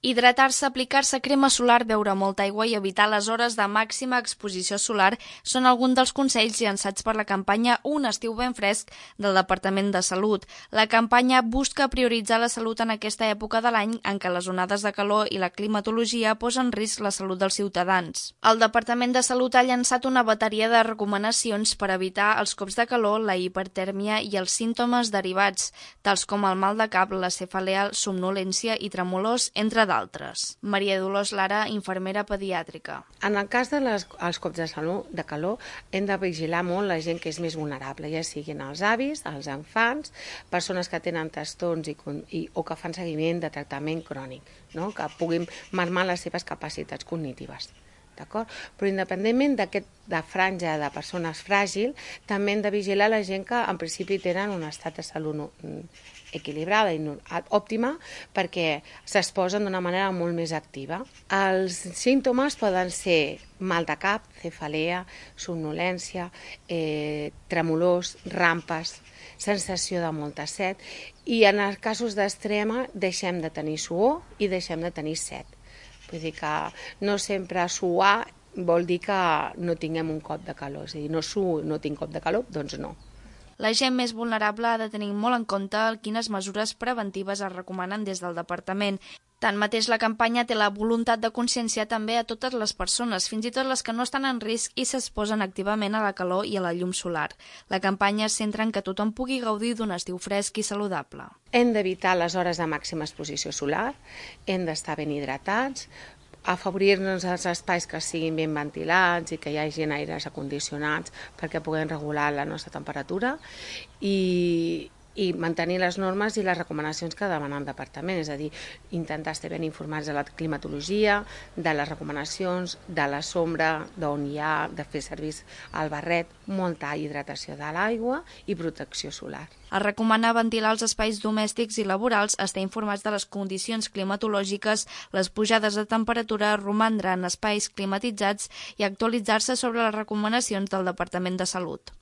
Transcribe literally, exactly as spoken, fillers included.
Hidratar-se, aplicar-se crema solar, beure molta aigua i evitar les hores de màxima exposició solar són alguns dels consells llançats per la campanya Un estiu ben fresc del Departament de Salut. La campanya busca prioritzar la salut en aquesta època de l'any en què les onades de calor i la climatologia posen en risc la salut dels ciutadans. El Departament de Salut ha llançat una bateria de recomanacions per evitar els cops de calor, la hipertèrmia i els símptomes derivats, tals com el mal de cap, la cefalea, somnolència i tremolors, entre d'altres. Maria Dolors Lara, infermera pediàtrica. En el cas dels de cops de, salut, de calor, hem de vigilar molt la gent que és més vulnerable, ja siguin els avis, els infants, persones que tenen trastorns i, i, o que fan seguiment de tractament crònic, no? Que puguin marmar les seves capacitats cognitives. Però independentment d'aquesta franja de persones fràgils, també hem de vigilar la gent que en principi tenen un estat de salut equilibrada i òptima perquè s'exposen d'una manera molt més activa. Els símptomes poden ser mal de cap, cefalea, somnolència, eh, tremolors, rampes, sensació de molta set i en els casos d'extrema deixem de tenir suor i deixem de tenir set. Vull dir que no sempre suar vol dir que no tinguem un cop de calor. És a dir, no suo, no tinc cop de calor, doncs no. La gent més vulnerable ha de tenir molt en compte quines mesures preventives es recomanen des del departament. Tanmateix, la campanya té la voluntat de conscienciar també a totes les persones, fins i tot les que no estan en risc i s'exposen activament a la calor i a la llum solar. La campanya es centra en que tothom pugui gaudir d'un estiu fresc i saludable. Hem d'evitar les hores de màxima exposició solar, hem d'estar ben hidratats, afavorir-nos els espais que siguin ben ventilats i que hi hagi aires acondicionats perquè puguem regular la nostra temperatura i, i mantenir les normes i les recomanacions que demana el departament, és a dir, intentar estar ben informats de la climatologia, de les recomanacions, de la sombra, d'on hi ha, de fer servir el barret, molta hidratació de l'aigua i protecció solar. Es recomana ventilar els espais domèstics i laborals, estar informats de les condicions climatològiques, les pujades de temperatura, romandre en espais climatitzats i actualitzar-se sobre les recomanacions del Departament de Salut.